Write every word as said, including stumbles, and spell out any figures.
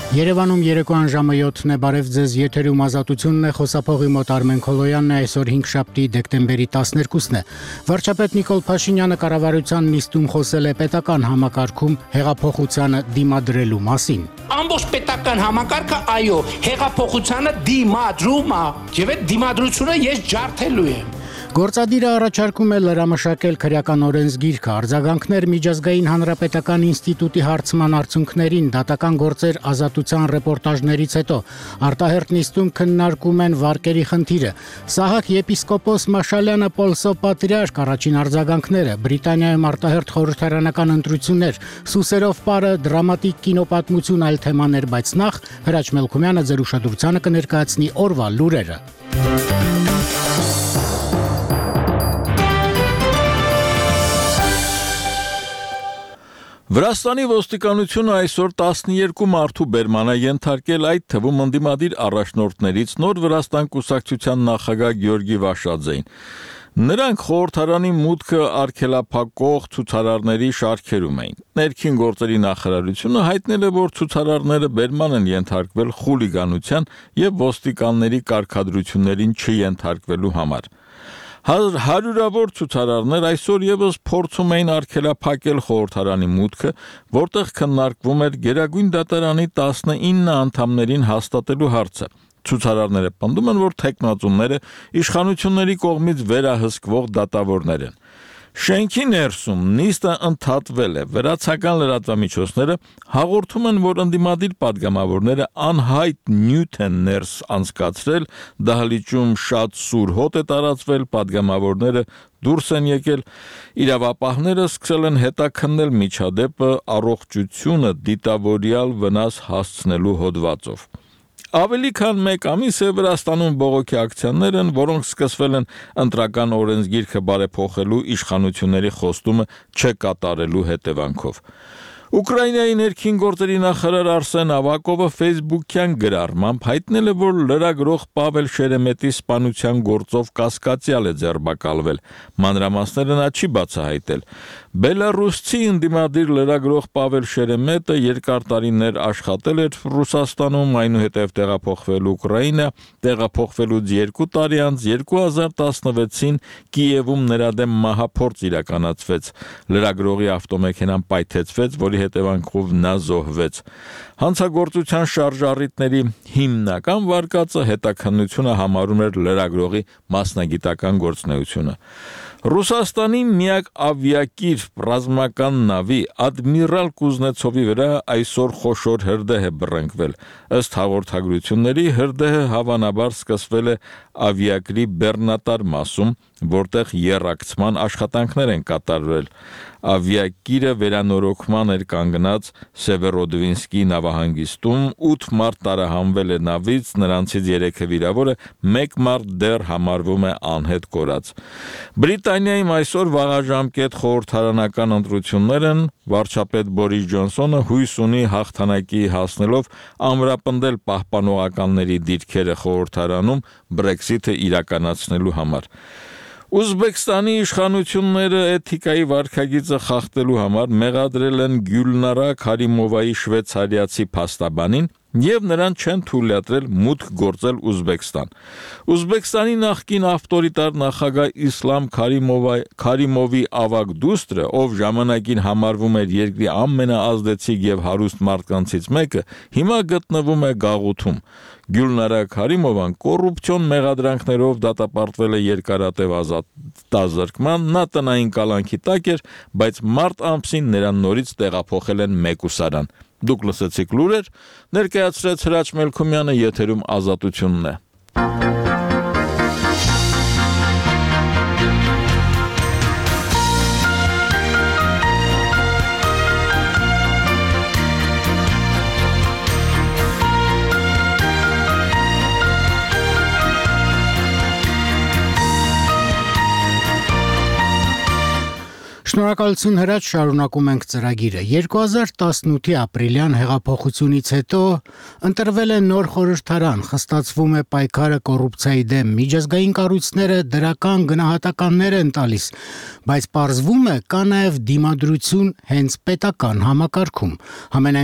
Երևանում երեկոյան ժամը յոթն է, բարև ձեզ, եթերում ազատությունն է, խոսափողի մոտ Արմեն Քոլոյանն է, այսօր հինգշաբթի դեկտեմբերի տասներկուսն է։ Վարչապետ Նիկոլ Փաշինյանը կառավարության նիստում խոսել է պետական համակարգում հեղափոխությանը դիմադրելու մասին։ Ամբողջ պետական համակարգը այո, հեղափոխությանը դիմադրում է, եւ այդ դիմադրությունը ես ջարդելու եմ։ Գործադիրը առաջարկում է լրամշակել քրեական օրենսգիրքը, արձագանքներ Միջազգային հանրապետական ինստիտուտի հարցման արդյունքներին, դատական գործեր ազատության ռեպորտաժներից հետո, արտահերթ նիստում քննարկում են վարկերի խնդիրը, Սահակ եպիսկոպոս Մաշալյանը Պոլսո պատրիարք առաջին արձագանքները, Բրիտանիայում արտահերթ խորհրդարանական ընտրություններ, Սուսերով պարը, դրամատիկ կինոպատմություն այլ թեմաներ, բայց նախ Հրաչ Մելքումյանը ձեր ուշադրությանը կներկայացնի օրվա լուրերը։ Վրաստանի ոստիկանությունը այսօր տասներկու մարդու բերման է ենթարկել, այդ թվում ընդդիմադիր առաջնորդներից նոր Վրաստան կուսակցության նախագահ Գյորգի Վաշաձեին։ Նրանք խորհրդարանի մուտքը արգելափակող ցուցարարների շարքերում էին։ Ներքին գործերի նախարարությունը հայտնել է, որ ցուցարարները բերման են ենթարկվել խուլիգանության եւ ոստիկանների կարգադրություններին չենթարկվելու համար։ Հարյուրավոր ցուցարարներ այսօր եւս փորձում էին արգելափակել խորհրդարանի մուտքը, որտեղ քննարկվում էր Գերագույն դատարանի տասնինը անդամներին հաստատելու հարցը։ Ցուցարարները պնդում են, որ թեկնածուները իշխանությունների կողմից վերահսկվող դատավորներ են։ Շենքի ներսում նիստը ընդհատվել է, վրացական լրատվամիջոցները հաղորդում են, որ ընդդիմադիր պատգամավորները անհայտ նյութ են ներս անցկացրել, դահլիճում շատ սուր հոտ է տարածվել, պատգամավորները դուրս են եկել, իրավապահները սկսել են հետաքննել միջադեպը առողջությունը դիտավորյալ վնաս հասցնելու հոդվածով։ Ավելի քան մեկ ամիս է Վրաստանում բողոքի ակցիաներ են, որոնք սկսվել են ընտրական օրենսգիրքը բարեփոխելու իշխանությունների խոստումը չկատարելու հետևանքով։ Ուկրաինայի ներքին գործերի նախարար Արսեն Ավակովը Facebook-յան գրառմամբ հայտնել է, որ լրագրող Պավել Շերեմետի սպանության գործով կասկածյալ է ձերբակալվել։ Մանրամասները նա չի բացահայտել։ Բելարուսցի ընդդիմադիր լրագրող Պավել Շերեմետը երկար տարիներ աշխատել էր Ռուսաստանում, այնուհետև տեղափոխվել Ուկրաինա, տեղափոխվելուց երկու տարի անց երկու հազար տասնվեցին Կիևում նրա դեմ մահափորձ իրականացվեց։ Լրագրողի ավտոմեքենան պայթեցվեց, որի հետևանքով նա զոհվեց։ Հանցագործության շարժառիթների հիմնական վարկածը հետաքննությունը համարում էր լրագրողի մասնագիտական գործունեությունը։ Ռուսաստանի միակ ավիակիր ռազմական նավի Ադմիրալ Կուզնեցովի վրա այսօր խոշոր հրդեհ է բռնկվել։ Ըստ հաղորդագրությունների հրդեհը հավանաբար սկսվել է ավիակրի բեռնատար մասում, որտեղ եռակցման աշխատանքներ են կատարվել։ Ավիակիրը վերանորոգման էր կանգնած Սևերոդվինսկի նավահանգիստում, ութ մարդ տարահանվել է նավից, նրանցից երեքը վիրավոր է, մեկ մարդ դեռ համարվում է անհետ կորած։ Բրիտանիայում այսօր վաղաժամկետ խորհրդարանական ընտրություններ են, վարչապետ Բորիս Ջոնսոնը հույս ունի հաղթանակի հասնելով ամրապնդել պահպանողականների դիրքերը խորհրդարանում Brexit-ը իրականացնելու համար։ Ուզբեկստանի իշխանությունները էթիկայի վարքագիծը խախտելու համար մեղադրել են Գյուլնարա Քարիմովայի շվեյցարիացի փաստաբանին եւ նրան չեն թույլատրել մուտք գործել Ուզբեկստան։ Ուզբեկստանի նախկին ավտորիտար նախագահ Իսլամ Քարիմովի ավագ դուստրը, ով ժամանակին համարվում էր երկրի ամենաազդեցիկ եւ հարուստ մարդկանցից մեկը, հիմա գտնվում է գաղութում։ Գյուլնարա Քարիմովան կոռուպցիոն մեղադրանքներով դատապարտվել է երկարատև ազատազրկման, նա տնային կալանքի տակ էր, բայց մարտ ամսին նրան նորից տեղափոխել են մեկուսարան։ Դուք լսեցիք լուրեր, ներկայացրեց Հրաչ Մելքումյանը, եթերում ազատությունն է։ Շնորհակալություն Հրաչ, շարունակում ենք ծրագիրը։ երկու հազար տասնութի ապրիլյան հեղափոխությունից հետո ընտրվել է նոր խորհրդարան, խստացվում է պայքարը կոռուպցիայի դեմ, միջազգային կառույցները դրական գնահատականներ են տալիս, բայց պարզվում է կա նաև դիմադրություն հենց պետական համակարգում։ Համենայն